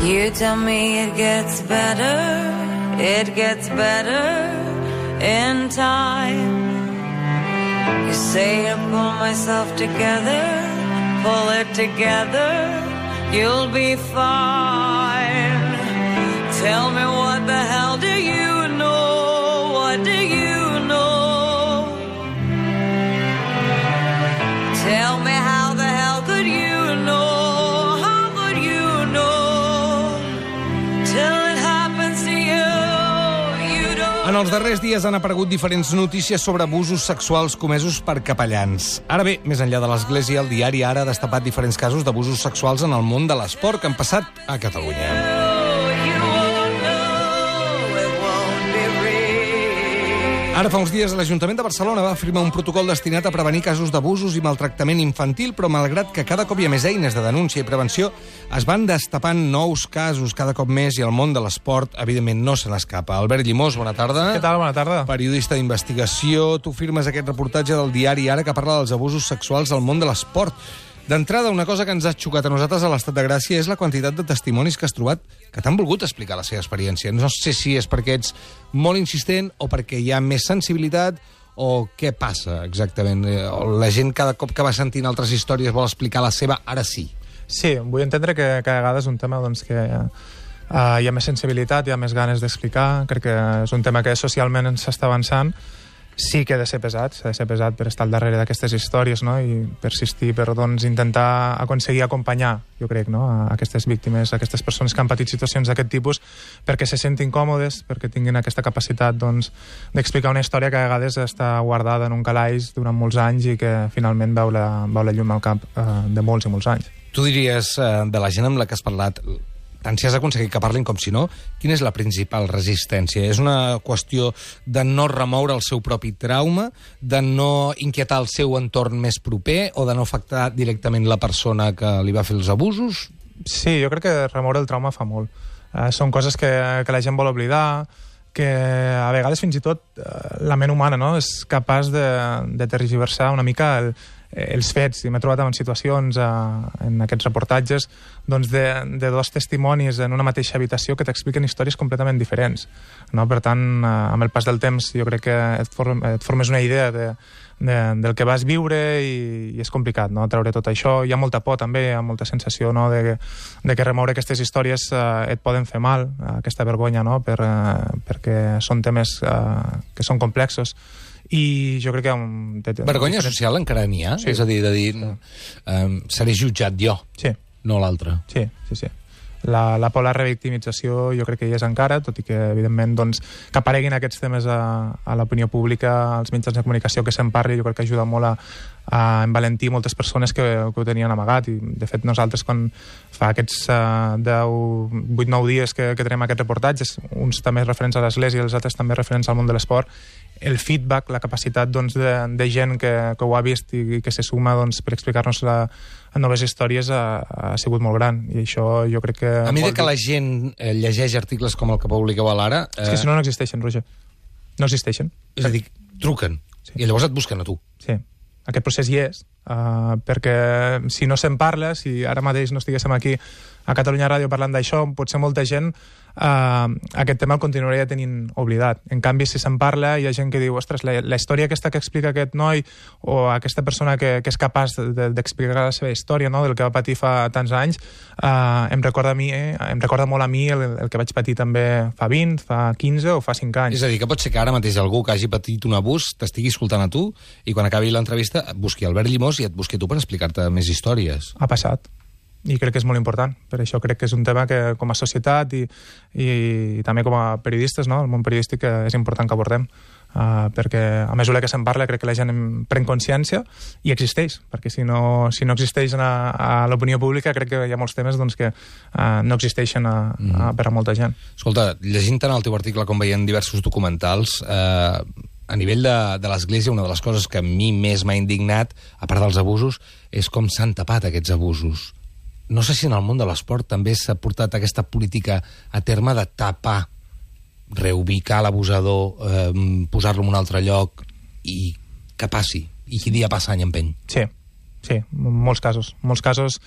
You tell me it gets better in time. You say to pull myself together, pull it together, you'll be fine. Tell me what the hell do you know? What do you know? Tell me how the hell could you know? How could you know? Till it happens to you, you don't. En els darrers dies han aparegut diferents notícies sobre abusos sexuals comesos per capellans. Ara bé, més enllà de l'Església, el diari Ara ha destapat diferents casos d'abusos sexuals en el món de l'esport que han passat a Catalunya. Ara fa uns dies l'Ajuntament de Barcelona va firmar un protocol destinat a prevenir casos d'abusos i maltractament infantil, però malgrat que cada cop hi ha més eines de denúncia i prevenció, es van destapant nous casos cada cop més i el món de l'esport, evidentment, no se n'escapa. Albert Llimós, bona tarda. Què tal? Bona tarda. Periodista d'investigació. Tu firmes aquest reportatge del diari Ara que parla dels abusos sexuals al món de l'esport. D'entrada, una cosa que ens ha xocat a nosaltres a l'Estat de Gràcia és la quantitat de testimonis que has trobat que t'han volgut explicar la seva experiència. No sé si és perquè ets molt insistent o perquè hi ha més sensibilitat o què passa exactament. La gent cada cop que va sentint altres històries vol explicar la seva, ara sí. Sí, vull entendre que cada vegada és un tema doncs, que hi ha més sensibilitat, hi ha més ganes d'explicar. Crec que és un tema que socialment s'està avançant. Sí que ha de ser pesat, s'ha de ser pesat per estar al darrere d'aquestes històries, no? I persistir, per doncs, intentar aconseguir acompanyar, jo crec, no? A aquestes víctimes, a aquestes persones que han patit situacions d'aquest tipus, perquè se sentin còmodes, perquè tinguin aquesta capacitat doncs, d'explicar una història que a vegades està guardada en un calaix durant molts anys i que finalment veu la llum al cap de molts i molts anys. Tu diries, de la gent amb la que has parlat, tant si has aconseguit que parlin com si no, quina és la principal resistència? És una qüestió de no remoure el seu propi trauma, de no inquietar el seu entorn més proper o de no afectar directament la persona que li va fer els abusos? Sí, jo crec que remoure el trauma fa molt. Són coses que la gent vol oblidar, que a vegades fins i tot la ment humana no, és capaç de tergiversar una mica els fets, i m'he trobat en situacions en aquests reportatges doncs de dos testimonis en una mateixa habitació que t'expliquen històries completament diferents, no? Per tant, amb el pas del temps jo crec que et formes una idea del que vas viure i és complicat, no? Treure tot això. Hi ha molta por també, hi ha molta sensació, no? de que remoure aquestes històries et poden fer mal, aquesta vergonya, no? Perquè són temes que són complexos. I jo crec que... Vergonya social encara n'hi ha? Sí. És a dir, seré jutjat jo, sí, no l'altre. Sí. La por a la revictimització jo crec que hi és encara, tot i que, evidentment, doncs, que apareguin aquests temes a l'opinió pública, als mitjans de comunicació, que se'n parli, jo crec que ajuda molt a envalentir moltes persones que ho tenien amagat. I, de fet, nosaltres, quan fa aquests 8-9 dies que tenim aquests reportatges, uns també referents a l'Església i els altres també referents al món de l'esport, el feedback, la capacitat doncs, de gent que ho ha vist i que se suma doncs, per explicar-nos noves històries ha sigut molt gran. I això jo crec que... A mesura que la gent llegeix articles com el que publiqueu a l'Ara... És que si no existeixen, Roger. No existeixen. És a dir, truquen. Sí. I llavors et busquen a tu. Sí. Aquest procés hi és, perquè si no se'n parla, si ara mateix no estiguéssim aquí a Catalunya Ràdio parlant d'això, potser molta gent aquest tema el continuaria tenint oblidat. En canvi, si se'n parla, hi ha gent que diu, ostres, la història aquesta que explica aquest noi o aquesta persona que és capaç d'explicar la seva història, no?, del que va patir fa tants anys, em recorda molt a mi el que vaig patir també fa 20, fa 15 o fa 5 anys. És a dir, que pot ser que ara mateix algú que hagi patit un abús t'estigui escoltant a tu i quan acabi l'entrevista busqui Albert Llimós i et busqui tu per explicar-te més històries. Ha passat. I crec que és molt important. Per això crec que és un tema que com a societat i també com a periodistes, no?, el món periodístic, és important que abordem, perquè a mesura que se'n parla crec que la gent pren consciència i existeix, perquè si no existeix a l'opinió pública crec que hi ha molts temes doncs, que no existeixen per a molta gent. Escolta, llegint tant el teu article com veient diversos documentals, a nivell de l'Església, una de les coses que a mi més m'ha indignat, a part dels abusos, és com s'han tapat aquests abusos. No sé si en el món de l'esport també s'ha portat aquesta política a terme de tapar, reubicar l'abusador, posar-lo en un altre lloc i que passi. I dia passa, any empeny. Sí, molts casos. Molts casos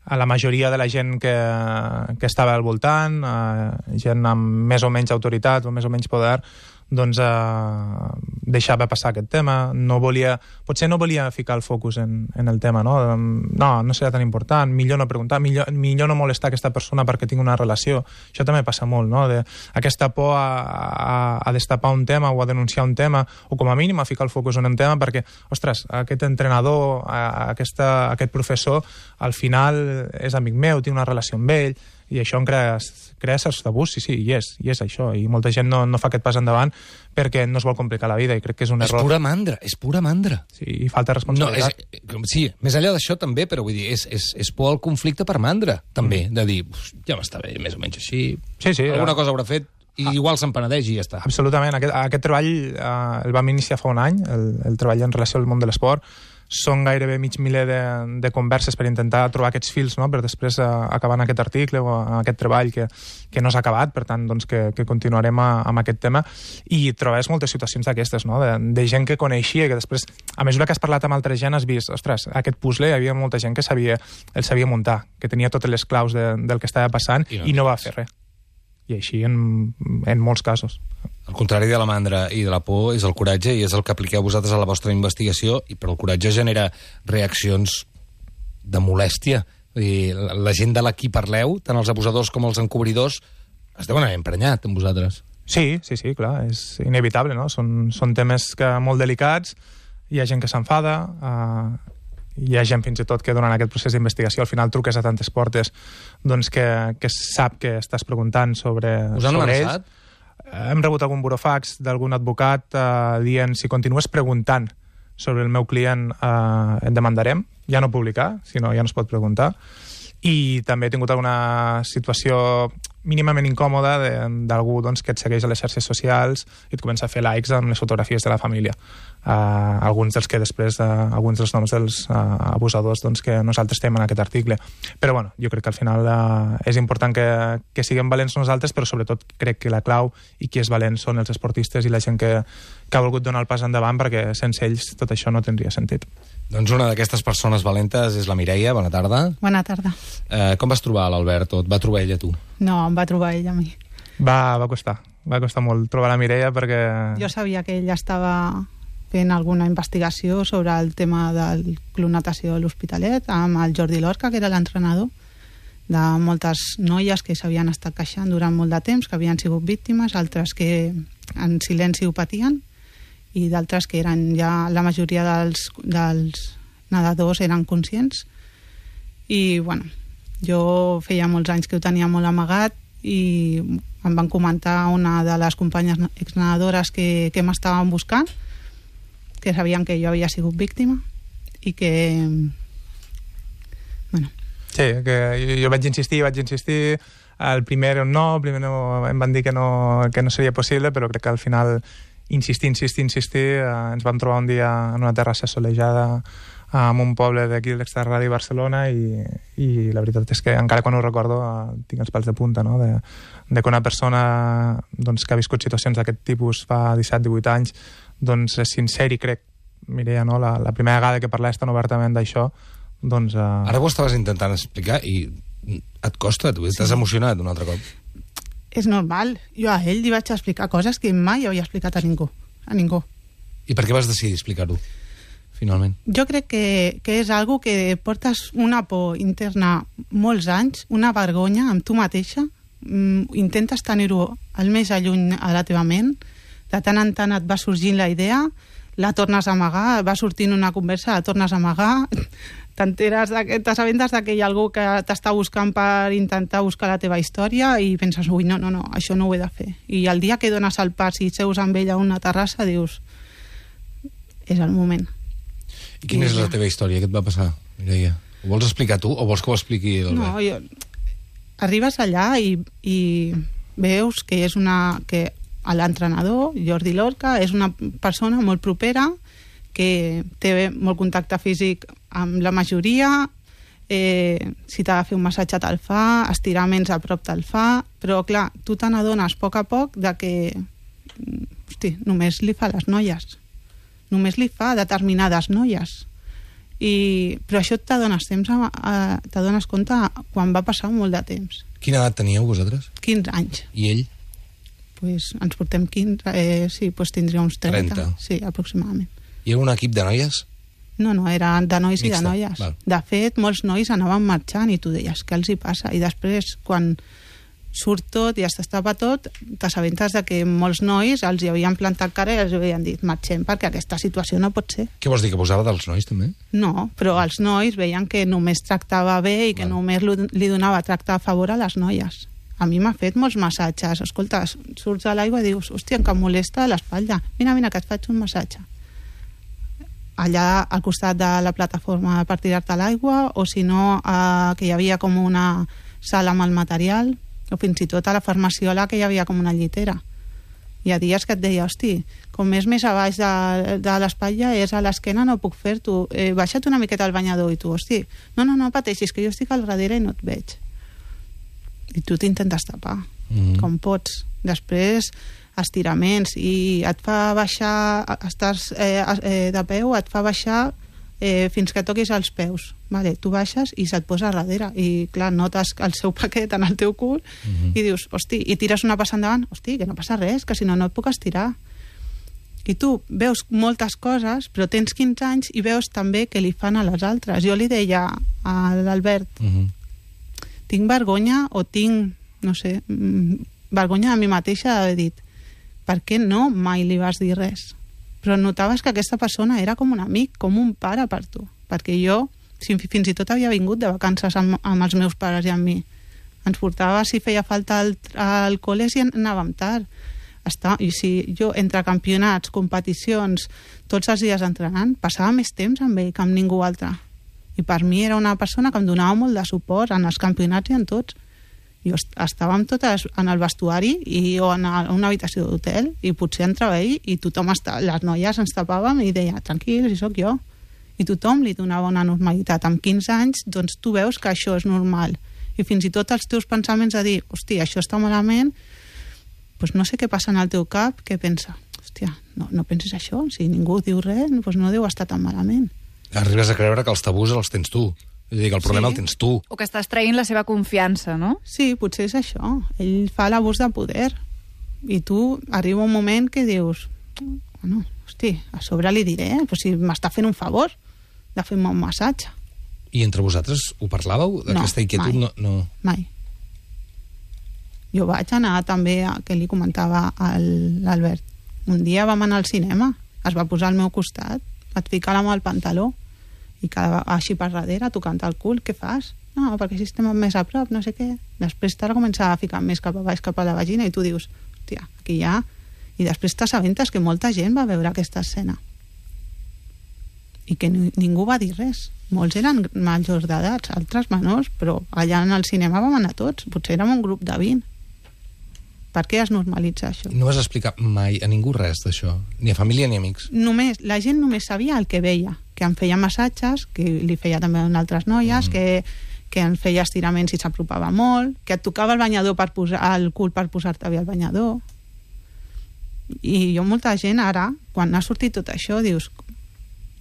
a la majoria de la gent que estava al voltant, gent amb més o menys autoritat o més o menys poder, doncs deixava passar aquest tema. Potser no volia ficar el focus en el tema, no? No serà tan important, millor no preguntar, millor no molestar aquesta persona perquè tinc una relació. Això també passa molt, no? Aquesta por a destapar un tema o a denunciar un tema, o com a mínim a ficar el focus en un tema perquè, ostres, aquest entrenador, aquest professor, al final és amic meu, tinc una relació amb ell, i això em crea certs tabús, sí, i és això, i molta gent no fa aquest pas endavant perquè no es vol complicar la vida, i crec que és un error. És pura mandra. Sí, i falta responsabilitat. Sí, més enllà d'això també, però vull dir, és por al conflicte per mandra, també, de dir, ja m'està bé, més o menys així, alguna cosa haurà fet, i igual se'n penedeix i ja està. Absolutament, aquest treball el vam iniciar fa un any, el treball en relació al món de l'esport. Són gairebé mig miler de converses per intentar trobar aquests fils, no?, per després acabar en aquest article o en aquest treball que no s'ha acabat, per tant, doncs, que continuarem amb aquest tema. I trobes moltes situacions d'aquestes, no?, de gent que coneixia, que després, a mesura que has parlat amb altra gent, has vist, ostres, aquest puzzle, hi havia molta gent que el sabia muntar, que tenia totes les claus del que estava passant i no va fer res. I així en molts casos. El contrari de la mandra i de la por és el coratge, i és el que apliqueu vosaltres a la vostra investigació, però el coratge genera reaccions de molèstia. Vull dir, la gent de la qui parleu, tant els abusadors com els encobridors, es deuen haver emprenyat amb vosaltres. Sí, clar, és inevitable, no? Són temes molt delicats, hi ha gent que s'enfada, hi ha gent fins i tot que durant aquest procés d'investigació al final truques a tantes portes doncs que sap que estàs preguntant sobre ells. Us han amenaçat? Hem rebut algun burofax d'algun advocat dient si continues preguntant sobre el meu client et demandarem, ja no publicar, sinó ja no es pot preguntar. I també he tingut alguna situació mínimament incòmoda d'algú doncs, que et segueix a les xarxes socials i et comença a fer likes amb les fotografies de la família. Alguns dels que després, alguns dels noms dels abusadors doncs, que nosaltres tenim en aquest article. Però bueno, jo crec que al final és important que siguem valents nosaltres, però sobretot crec que la clau i qui és valent són els esportistes i la gent que ha volgut donar el pas endavant, perquè sense ells tot això no tindria sentit. Doncs una d'aquestes persones valentes és la Mireia. Bona tarda. Bona tarda. Com vas trobar l'Albert o et va trobar ella a tu? No, em va trobar ella a mi. Va costar molt trobar la Mireia perquè... Jo sabia que ella estava fent alguna investigació sobre el tema del Club Natació de l'Hospitalet amb el Jordi Lorca, que era l'entrenador de moltes noies que s'havien estat queixant durant molt de temps, que havien sigut víctimes, altres que en silenci ho patien, i d'altres que eren ja la majoria dels nedadors eren conscients. I bueno, jo feia molts anys que ho tenia molt amagat i em van comentar una de les companyes exnedadores que m'estaven buscant, que sabien que jo havia sigut víctima i que bueno. Sí, que jo vaig insistir, el primer no, em van dir que no seria possible, però crec que al final insistir, ens vam trobar un dia en una terrassa solejada en un poble d'aquí de l'extrarradi de Barcelona i la veritat és que encara quan ho recordo tinc els pèls de punta, no? de que una persona doncs, que ha viscut situacions d'aquest tipus fa 17-18 anys doncs és sincer i crec, Mireia, no? la primera vegada que parlaves tan obertament d'això doncs... Ara ho estaves intentant explicar i et costa, tu estàs emocionat un altre cop. És normal. Jo a ell li vaig explicar coses que mai havia explicat a ningú. I per què vas decidir explicar-ho, finalment? Jo crec que és algo que portes una por interna molts anys, una vergonya amb tu mateixa, intentes tenir-ho el més alluny a la teva ment, de tant en tant et va sorgint la idea, la tornes a amagar, va sortint una conversa, la tornes a amagar, t'assabentes que hi ha algú que t'està buscant per intentar buscar la teva història i penses, ui, no, això no ho he de fer. I el dia que dones el pas i seus amb ella a una terrassa dius, és el moment. I quina és la teva història? Què et va passar, Mireia? Ho vols explicar tu o vols que ho expliqui l'Albert? No, arribes allà i veus que és que l'entrenador, Jordi Lorca, és una persona molt propera, que té molt contacte físic amb la majoria, si t'ha de fer un massatge te'l fa, estiraments a prop te'l fa, però clar, tu te n'adones a poc de que només li fa a les noies, només li fa a determinades noies, Però això t'adones compte quan va passar molt de temps. Quina edat teníeu vosaltres? 15 anys. I ell? Pues ens portem 15, sí, pues tindria uns 30. Sí, aproximadament. Hi havia un equip de noies? No, era de nois i de noies. Val. De fet, molts nois anaven marxant i tu deies, què els hi passa? I després, quan surt tot i es destapa tot, t'assabentes de que molts nois els hi havien plantat cara i els havien dit, marxem perquè aquesta situació no pot ser. Què vols dir, que posava dels nois també? No, però els nois veien que només tractava bé i que només li donava tracte a favor a les noies. A mi m'ha fet molts massatges. Escolta, surts a l'aigua i dius, hòstia, que em molesta l'espatlla. Mira, que et faig un massatge. Allà al costat de la plataforma per tirar-te a l'aigua, o si no, que hi havia com una sala amb el material, o fins i tot a la farmaciola que hi havia com una llitera. Hi ha dies que et deia, hosti, com és més a baix de l'espatlla, és a l'esquena, no puc fer-t'ho. Baixa't una miqueta al banyador. I tu, hosti, no pateixis, que jo estic al darrere i no et veig. I tu t'intentes tapar, com pots. Després, estiraments, i et fa baixar, estàs de peu, et fa baixar fins que toquis els peus. Vale, tu baixes i se't posa darrere. I, clar, notes el seu paquet en el teu cul i dius, hosti, i tires una passa endavant, hosti, que no passa res, que si no, no et puc estirar. I tu veus moltes coses, però tens 15 anys i veus també què li fan a les altres. Jo li deia a l'Albert, tinc vergonya o tinc, no sé, vergonya de mi mateixa d'haver dit, per què no mai li vas dir res? Però notaves que aquesta persona era com un amic, com un pare per tu, perquè jo fins i tot havia vingut de vacances amb els meus pares i amb mi. Ens portava, si feia falta, al col·le i anàvem tard. I si jo, entre campionats, competicions, tots els dies entrenant, passava més temps amb ell que amb ningú altre. I per mi era una persona que em donava molt de suport en els campionats i en tots. Jo estàvem totes en el vestuari o en una habitació d'hotel i potser entrava ell i tothom, les noies ens tapàvem i deia, tranquil, si sóc jo. I tothom li donava una normalitat. Amb 15 anys, doncs tu veus que això és normal. I fins i tot els teus pensaments de dir, hòstia, això està malament, doncs no sé què passa en el teu cap, què pensa? Hòstia, no pensis això, si ningú diu res, doncs no deu estar tan malament. Arribes a creure que els tabús els tens tu. És a dir, que el problema el tens tu. O que estàs traient la seva confiança, no? Sí, potser és això. Ell fa l'abús de poder. I tu arriba un moment que dius, bueno, hosti, a sobre li diré, però si m'està fent un favor de fer-me un massatge. I entre vosaltres ho parlàveu? D'aquesta inquietud? No. Mai. Jo vaig anar també, que li comentava a l'Albert. Un dia vam anar al cinema, es va posar al meu costat, vaig ficar la mà al pantaló, i quedava així per darrere, tocant el cul, què fas? No, perquè si estem més a prop, no sé què. Després t'ha de començar a ficar més cap a baix, cap a la vagina, i tu dius, hòstia, aquí hi ha... I després t'assabentes que molta gent va veure aquesta escena. I que ningú va dir res. Molts eren majors d'edats, altres menors, però allà en el cinema vam anar tots. Potser érem un grup de 20. Per què es normalitza això? No vas explicar mai a ningú res d'això? Ni a família ni a amics? La gent només sabia el que veia, que em feia massatges, que li feia també a altres noies, que em feia estiraments i s'apropava molt, que et tocava el banyador per posar el cul per posar-te bé al banyador. I jo, molta gent ara, quan ha sortit tot això, dius,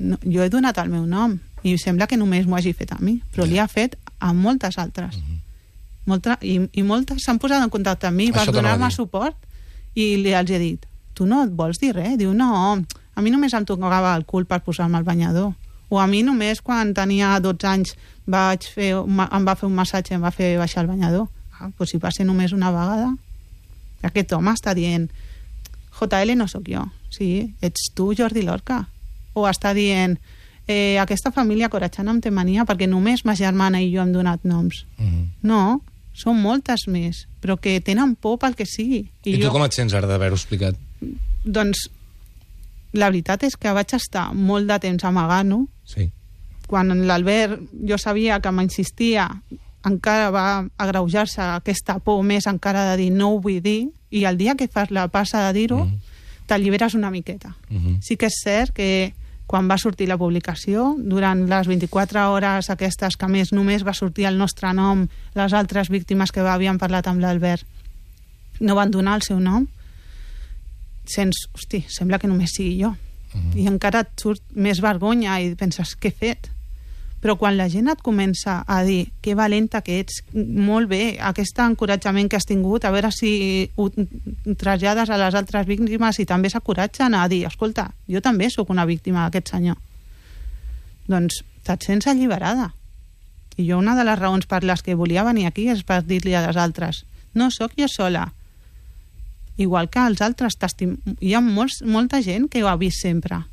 no, jo he donat el meu nom i sembla que només m'ho hagi fet a mi, però li ha fet a moltes altres. I moltes s'han posat en contacte amb mi per donar-me suport i els he dit, tu no et vols dir res? Diu, no, a mi només em tocava el cul per posar-me al banyador, o a mi només quan tenia 12 anys em va fer un massatge i em va fer baixar el banyador. Doncs si va ser només una vegada. Aquest home està dient, JL no sóc jo, sí, ets tu, Jordi Lorca. O està dient, aquesta família coratjana em té mania perquè només ma germana i jo hem donat noms. No, són moltes més, però que tenen por pel que sigui. I tu com et sents ara d'haver-ho explicat? Doncs la veritat és que vaig estar molt de temps amagant-ho. Sí. Quan l'Albert, jo sabia que m'insistia, encara va agreujar-se aquesta por més encara de dir no ho vull dir, i el dia que fas la passa de dir-ho, t'alliberes una miqueta. Sí que és cert que quan va sortir la publicació, durant les 24 hores aquestes que més només va sortir el nostre nom, les altres víctimes que havien parlat amb l'Albert no van donar el seu nom, sents, hosti, sembla que només sigui jo. I encara et surt més vergonya i penses, què he fet? Però quan la gent et comença a dir que valenta que ets, molt bé, aquest encoratjament que has tingut, a veure si ho trasllades a les altres víctimes i també s'encoratgen a dir, escolta, jo també sóc una víctima d'aquest senyor. Doncs te't sents alliberada. I jo una de les raons per les que volia venir aquí és per dir-li a les altres, no sóc jo sola. Igual que els altres, hi ha molta gent que ho ha vist sempre.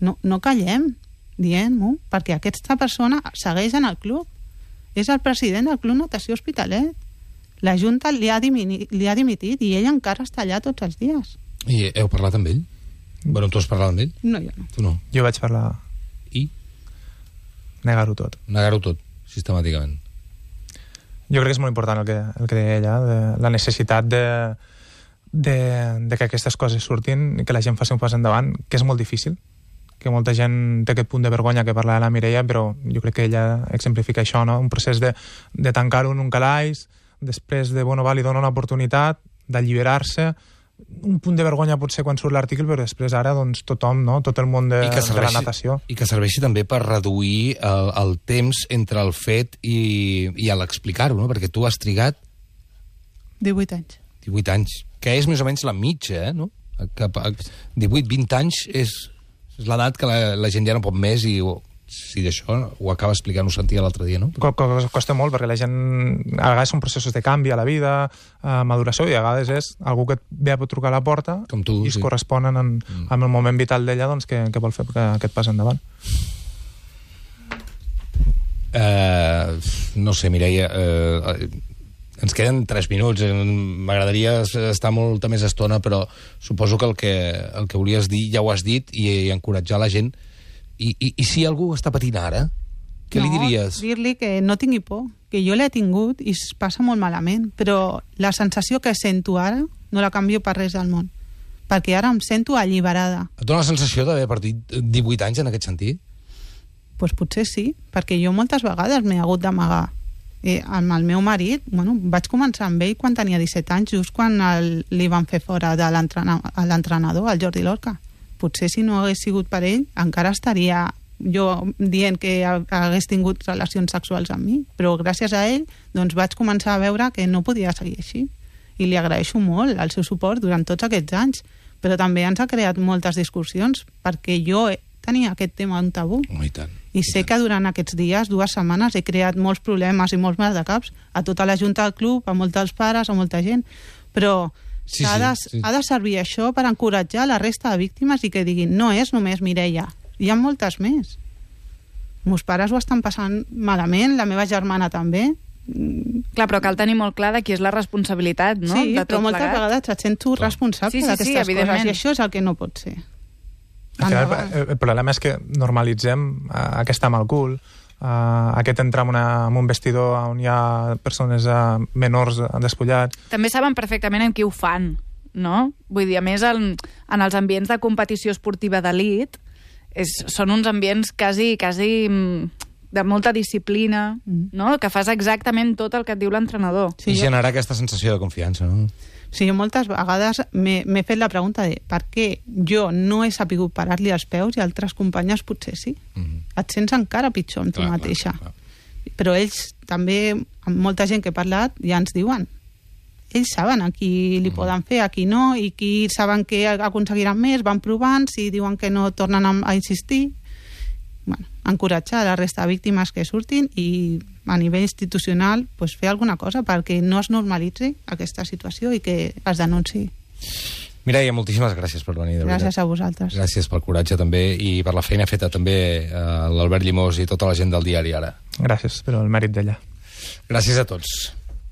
No callem dient-ho, perquè aquesta persona segueix en el club. És el president del Club Natació Hospitalet. La Junta li ha dimitit i ell encara està allà tots els dies. I heu parlat amb ell? Bueno, tu has parlat amb ell? No, jo no. Tu no? Jo vaig parlar... I? Negar-ho tot. Negar-ho tot, sistemàticament. Jo crec que és molt important el que deia ella, de la necessitat de que aquestes coses surtin i que la gent faci un pas endavant, que és molt difícil, que molta gent té aquest punt de vergonya que parla de la Mireia, però jo crec que ella exemplifica això, no? Un procés de tancar-ho en un calaix, després de, bueno, li dona una oportunitat d'alliberar-se, un punt de vergonya potser quan surt l'article, però després ara doncs tothom, no? Tot el món de la natació. I que serveixi també per reduir el temps entre el fet i l'explicar-ho, no? Perquè tu has trigat 18 anys. 18 anys, que és més o menys la mitja, no? 18-20 anys és l'edat que la gent ja no pot més i si d'això ho acaba explicant, ho sentia l'altre dia, no? Costa molt, perquè la gent a vegades són processos de canvi a la vida, maduració, i a vegades és algú que et ve a trucar a la porta com tu, i es corresponen amb el moment vital d'ella doncs, que vol fer aquest pas endavant. No sé, Mireia, ens queden 3 minuts. M'agradaria estar molta més estona, però suposo que el que volies dir ja ho has dit i encoratjar la gent. I si algú està patint ara, què li diries? Dir-li que no tingui por, que jo l'he tingut i es passa molt malament, però la sensació que sento ara no la canvio per res del món, perquè ara em sento alliberada. Et dona la sensació d'haver perdut 18 anys en aquest sentit? Doncs potser sí, perquè jo moltes vegades m'he hagut d'amagar. Amb el meu marit, vaig començar amb ell quan tenia 17 anys, just quan li van fer fora de l'entrenador, el Jordi Lorca. Potser si no hagués sigut per ell, encara estaria jo dient que hagués tingut relacions sexuals amb mi, però gràcies a ell doncs vaig començar a veure que no podia seguir així. I li agraeixo molt el seu suport durant tots aquests anys, però també ens ha creat moltes discussions, perquè jo tenia aquest tema un tabú. I tant. I sé que durant aquests dies, 2 setmanes, he creat molts problemes i molts maldecaps a tota la junta del club, a molts dels pares, a molta gent, però... Sí. Ha de servir això per encoratjar la resta de víctimes i que diguin, no és només Mireia, hi ha moltes més. Meus pares ho estan passant malament, la meva germana també. Clar, però cal tenir molt clar de qui és la responsabilitat, no? Sí, de tot però moltes vegades et sento responsable d'aquestes coses, i això és el que no pot ser. El problema és que normalitzem aquest amb el cul, aquest entrar en un vestidor on hi ha persones menors despullats. També saben perfectament amb qui ho fan, no? Vull dir, a més, en els ambients de competició esportiva d'elit, són uns ambients quasi de molta disciplina, no? Que fas exactament tot el que et diu l'entrenador. Sí, i generar aquesta sensació de confiança, no? Sí, jo moltes vegades m'he fet la pregunta de per què jo no he sapigut parar-li els peus i altres companyes potser sí. Et sents encara pitjor amb tu mateixa. Clar. Però ells també, amb molta gent que he parlat, ja ens diuen. Ells saben a qui li poden fer, a qui no, i qui saben que aconseguiran més, van provant, si diuen que no tornen a insistir. Bueno, encoratjar la resta de víctimes que surtin i a nivell institucional pues, fer alguna cosa perquè no es normalitzi aquesta situació i que es denunciï. Mireia, moltíssimes gràcies per venir. Gràcies a vosaltres. Gràcies pel coratge també i per la feina feta també a l'Albert Llimós i tota la gent del diari Ara. Gràcies, però el mèrit d'ella. Gràcies a tots.